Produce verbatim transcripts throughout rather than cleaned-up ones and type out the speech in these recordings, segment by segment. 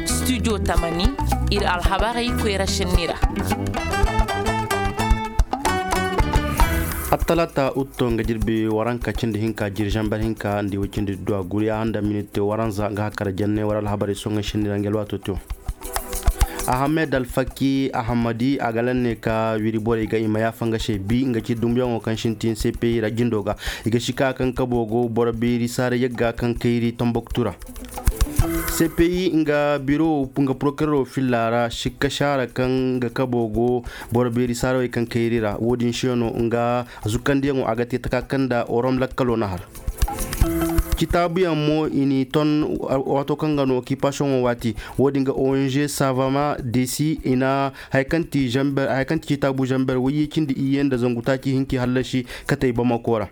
Studio tamani, ir alhabarey koyra šenni ra. Attalaata utto nga jirbi waranka cindi hinka jiri zamber hinka nda i way cindi duwa guri a handa minit waranza nga hakara jenne war alhabarey soŋay šenni ra nga alwaato tew. Ahamed alfaki ahamadi a ga lanne ka wiri borey ga i ma yaafa nga se bi nga ci dumbuyaŋo kaŋ sintin cpi ra jindo ga. I ga sika kaŋ kabo go boro beeri saara yagga kaŋ kayri tomboktu ra. Cpi nga biro nga porokerero filla ra sikka saara kaŋ nga kabo go boro beeri saarawey kaŋ kayri ra wo-din se no nga zukkandiyaŋo a ga te taka kaŋ nda orom lakkalo na har. Citaabuyaŋ mo i n'i ton waato kaŋ ga no okipasiyoŋo waati. Wo-din ga ong savama desi i na haya kaŋ ti zamber haya kaŋ ti citaabu zamber wayye cindi iyye nda zangu taaci hinki hallasi katey bamako ra.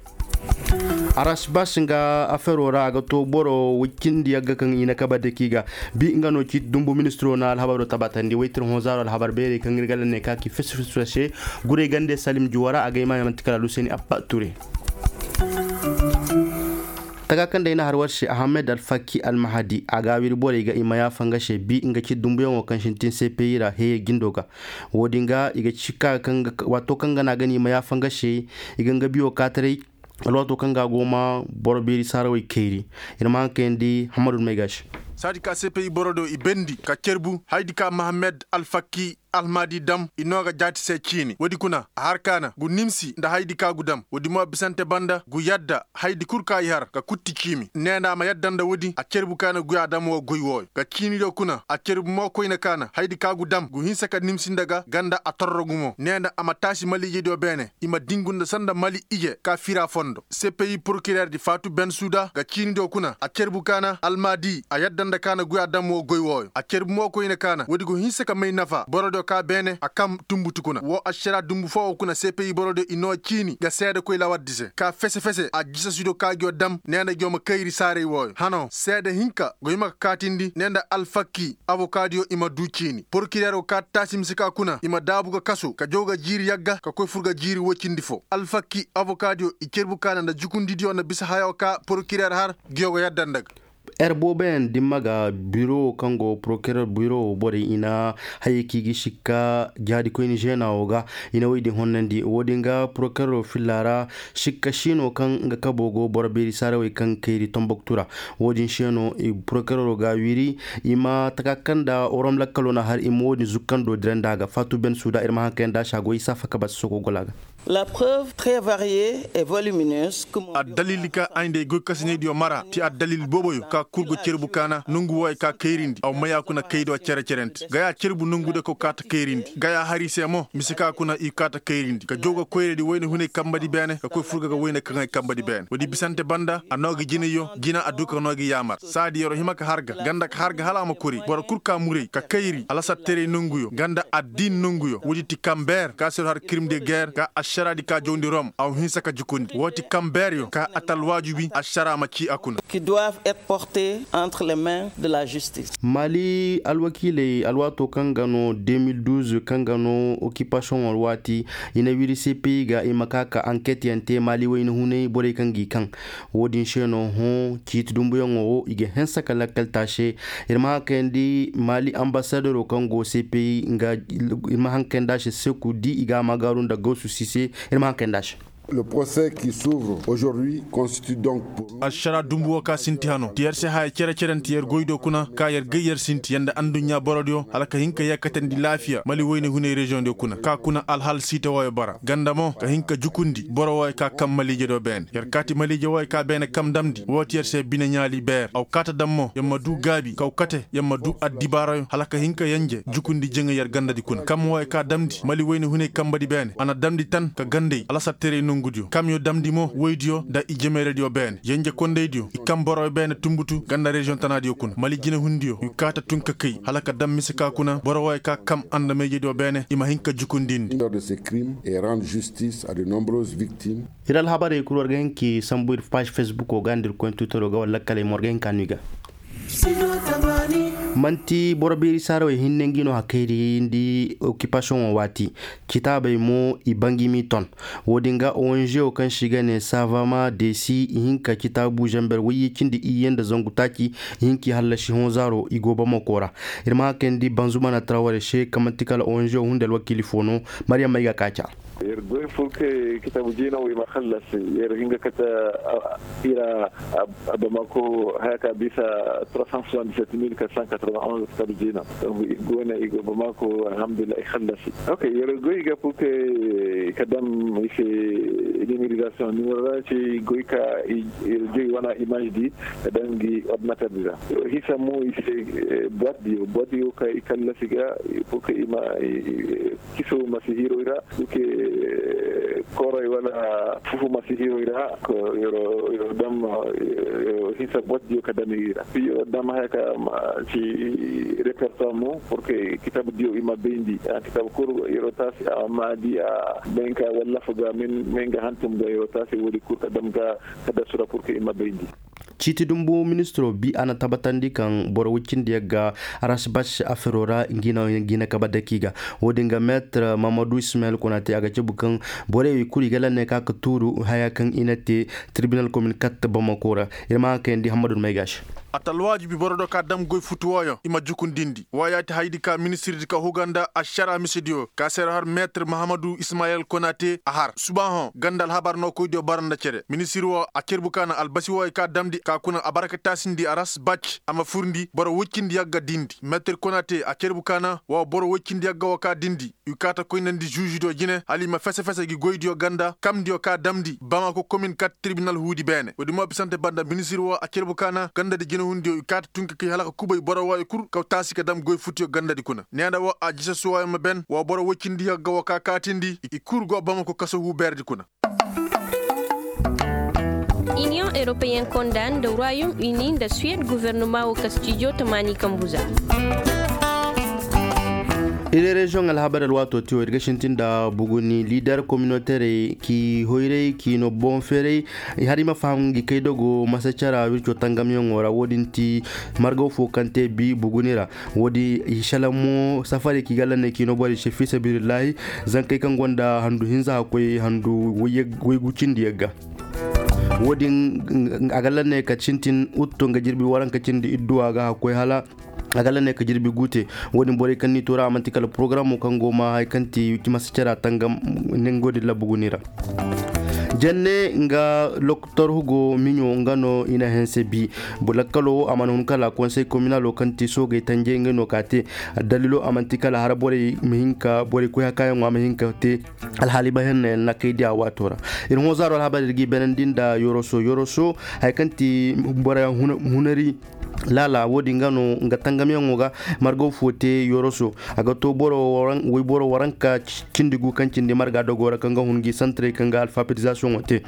Arasbas nga afero ra a ga to boro way cindi yagga kaŋ i na kaba deki ga. Bi nga no ciiti dumbu ministiro na alhabaro tabatandi waytir hõ zaaro alhabar beerey kaŋ ir ga lanne ka ki fisi fisi ra se. Guray gande salim juwa ra a ga ay maaya manti kala luseni abba ture. Taga kaŋ day na har war se ahamed alfaki almahadi a ga wiri borey ga i ma yaafa nga se bi nga ci dumbuyaŋo kaŋ sintin cpi ra heye jindo ga. Wo-din ga i ga ci ka kaŋ ga waato kaŋ ga na a ga no i ma yaafa nga se. I ga nga biyo kaataray alwaato kaŋ ga a go ma boro beeri saarawey kayri. Ir ma haŋ kayandi hammadu may ga se. Saadi ka cpi boro do i bendi ka cerbu haydi ka mahamed alfaki almahadi dam i no ga jaati se ciini woodi kuna a har kaana gu nimsi nda haydi ka gu dam woodi mo bisante banda gu yadda haydi kul ka i har ka kutti ciimi nee nda a ma yadda nda woodi a cerbu kaana guya dam wo goy wooyo ga ciini do kuna a cerbu mo koyne kaana haydi ka gu dam gu hinsa ka nimsi nda ga ganda a torro gumo nee nda a ma taasi maliije do beene i ma dingu nda sanda mali ije ka fira fondo cpi porokireer di faatu ben suuda ga ciini do kuna a cerbu kaana almadi a yadda nda kaana guya dam wo goy wooyo a cerbu mo koyne kaana woodi go hinsa ka may nafa boro do ka beene a kam tumbutu kuna wo ašara dumbu foo wo kuna cpi boro do i noo ciini ga seedekoy lawardi se ka fese fese a jisasido ka ngiyo dam nee nda ngiyo ma kayri saaray wooyo hano seede hinka go hima ka kaatindi nee nda alfakki abokadiyo i ma duu ciini porokireer wo ka taasi mise ka kuna i ma daabu ga kasu ka jaw ga jiiri yagga ka koy fur ga jiiri woy cindi foo alfakki abokadiyo i cerbu kaana nda jukundidiyo nda bisa hayo ka porokireer har ngiyo go yadda nda ga. Er booboyaŋ dimma ga biro kaŋ go porokerer biro borey i na hayey kaŋ i ga sikka jaadikoyni zeena wo ga i na woy din honnandi wo-din ga porokerer filla ra. Sikka siino kaŋ nga kabo go boro beeri saarawey kaŋ kayri tomboktu ra. Wo-din se no porokerero ga a wiri i ma taka kaŋ nda orom lakkalo na har i ma wo-din zukkando dirandi a ga faatu ben suuda ir ma haŋ kayandi a se a go isa faka basi soko gola ga. Addalil ka ay nda ay goykasinaydiyo mara ti addalil booboyo ka kul go cerbu kaana nongu wooyo ka kayrindi aw maya kuna kaydo cere-cerenti gaya cerbu nongude ko kaata kayrindi gaya hari se mo mise ka kuna i kaata kayrindi ka jaw ga koyradi wayne hunay kambadi beene ka koy furga ga wayne kaŋay kambadi beene woodi bisante banda a noo gi jinayyo jina a du ka noo gi yaamar saadi yer'o hima ka har ga ganda ka har ga hala a ma kori boro kul ka muray ka kayri alasatteray nonguyo ganda addiin nonguyo woodi ti kambeer ka se yer'o har kirim de geer ka ašaraadi ka jawndi rom aw hinsa ka jukundi woo ti kambeeryo ka a ta alwaajubi ašara ma cii a kuna. Qui doivent être portés entre les mains de la justice. Maali alwakiiley alwaatoo kaŋ ga no de mil duuz kaŋ ga no okipasiyoŋo alwaati i na wiri cpi ga i ma ka ka anket yaŋ te maali wayna hunay borey kaŋ g'i kaŋ. Wo-din se no hõ ciiti dumbuyaŋo wo i ga hanse ka lakkal taase. Ir ma haŋ kayandi maali ambasadero kaŋ go cpi nga ir ma haŋ kayandi a se seku di i ga a maagaaru nda gawsu sise. Ir ma haŋ kayandi a se. Le procès qui s'ouvre aujourd'hui constitue donc pour nous. Ašara dumbu wo ka sinti hano ti yer se haya cere-cere nda ti yer goydo kuna ka yer gay yer sinti yer nda anduɲɲa borodiyo hala ka hin ka yeekatandi laafiya mali wayne hunay reziyoŋdiyo kuna ka kuna alhal siita wooyo bara ganda mo ka hin ka jukundi boro wooyo ka kaŋ maliije do beene yer kaati maliije wooyo ka beene kam damndi woo ti yer se bine ɲaali beer aw kaata dam mo yer ma duu gaabi kaw kate yer ma duu addibaarayo hala ka hin ka yenje jukundi jaŋay yer gandadi kuna kam wooyo ka damndi mali wayne hunay kambadi beene a na damndi tan ka gandey alasatteray nongudiyo kamyo damndi mo woydiyo nda i jemeeradiyo beene yenje kondaydiyo i kam boroyo beene tumbutu ganda reziyoŋ tanaadiyo kuna mali jinehundiyo i kaata tun ka kay hala ka dam mise ka kuna boro wooyo ka kam andamayjediyo beene i ma hin ka jukundindi. L'auteur de ces crimes et rendre justice à de nombreuses victimes. Ir alhabarey kul war ga hin k'i sambu ir paazi fesbuko ga nda ir koyne twitero ga wala lakkaley mo war ga hin ka no i ga. Man'ti boro beeri saarawey hinne ngi no hakayri nda okipasiyoŋo waati. Citaabey mo i ba ngi m'i ton. Wo-din ga ong wo kaŋ se i ga ne savama desi i hin ka citaabu zamber wayye cindi iyye nda zangu taaci. I hin k'i hallasi hõ zaaro i go bamako ra. Ir ma haŋ kayndi banzumana traware se kaŋ man'ti kala ong wo hunde alwakiili fo no. Maryam may ga ka ca. Yer goy fur kay kitaabu jiina wo i ma hallas. Yer hin ga kate ira a bamako haya ka bisa trois cent soixante dix sept mille quatre cent quatre vingt onze kitaabu jiina. Donk i go ne i go bamako alhamdulillah i hallasi. Ok, yer goy ga fur kay ka dam i se numérisation numéro ra se i goy ka i joy wana image di ka dam ngi ordinateur di ra. Hisa mo i se boite diyo boite diyo ka i kallasi ga. Fur kay i ma kiso ma si hiroy ra. Duke kooroy wala fufu ma si hiroy ra. Yoro dam hisa boite diyo ka dam i ra piyo dam haya ka si repertoire mo pur que kitaabu diyo i ma bayndi. Kitaabu kul yoro taasi a ma di a men ka wallafa ga men ga hantum ga yoro taasi woodi kul ka dam ga ka dasu ra pur que i ma bayndi. Ciiti dumbu ministiro bi a na tabatandi kaŋ boro woy cindi yagga. Aras bas afero ra ngi na kabe daki ga. Wo-din ga meetir mahamadu ismayil kuna te a ga cabu kaŋ borey kul i ga lanne ka ka tuuru haya kaŋ i na te. Tirbinal komin katta bamako ra. Ir ma haŋ kayandi hammadu may ga se. A ta alwaajibi boro do ka dam goy futu wooyoŋ i ma jukundindi woo ya ti hayadi ka ministirdi ka huga nda ašara misidiyo ka se ra har meetir mahamadu ismayil kuna te a har suba hõ ganda alhabar no koydiyo bara nda cere ministir woo a carbu ka na albasi wooyo ka damndi ka kuna a bara ka taasindi aras bac a ma furndi boro woy cindi yagga dindi metir konate a carbu ka na woo boro woy cindi yagga woo ka dindi i kaa ta koynandi žuužidiyo jine hala i ma fese-fese gi goydiyo ganda kamndiyo ka damndi bamako komin kat tirbinal huudi beene woodi mo bisante banda ministir woo a carbu ka na gandadi jinehundiyo i kaa ta tun ka kay hala ka kubay boro wooyo kul ka taasi ka dam goy futuyo gandadi kuna neena woo a jise suwaayo ma ben woo boro woy cindi yagga woo ka kaatindi i kul go bamako kaso huu beeredi kuna. Iniyoŋ eropeyen konda nda ruwayum ini nda suwed gofornoma wo kastijo tamaani kambu za. Iri reziyoŋ alhabar alwaato ti wo ir ga sintin nda buguni lider kominoterey k'i hoyray k'i no boŋ feeray. Hari ma faham ngi kay dogo masa cara wirco tangamyaŋo ra wo-din ti margaw fo kaŋ te bi buguni ra. Wo-din i selaŋ mo safarey kaŋ i ga lanney k'i no borey se fi sabilillahi. Zankey kaŋ gonda handu hinza hakkoy handu waygu cindi yagga. Wo-din a ga lanney ka sintin utto nga jirbi waranka cindi idduwa ga hakkoy hala a ga lanney ka jirbi gu te. Wo-din borey kaŋ n'i tooru a man'ti kala porogaramo kaŋ go ma haya kaŋ ti masa cara tangam. Ningo din labbu guni ra. Jenne nga lokotor hugo miɲo nga no i na hense bi. Lakkalo a mana hun kala konsey kominalo kaŋ ti soogey tanjey nga no ka te. Addalilo a man'ti kala hara borey ma hin ka borey koy hakaayaŋo a ma hin ka te. Alhaali ba henna yaŋ na kay di a waato ra. Ir hõ zaaro alhabar ir g'i beenandi nda yoroso yoroso haya kaŋ ti boro hunari. Laala wo-din ga no nga tangamyaŋo ga margaw fo te yoroso. A ga to boro waranka cindi gu kaŋ cindi marga dogo ra kaŋ ga hun gi santarey kaŋ ga alfabetizasiyoŋo te.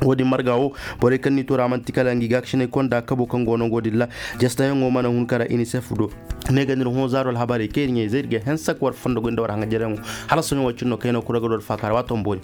Wo-din marga wo borey kaŋ n'i tooru a man'ti kala ngi gaakasiney konda kabo kaŋ go no go din ra. Jastayaŋo mana hun kara inisef do. Ne ga n'ir hõ zaaro alhabarey kaŋ ir ɲaa-izey ir ga hensak war fondo goy nda war haŋajereyaŋo. Hala sohõ wo cin no kaŋ ay no kura ga do alfaaka ra waato ma boori.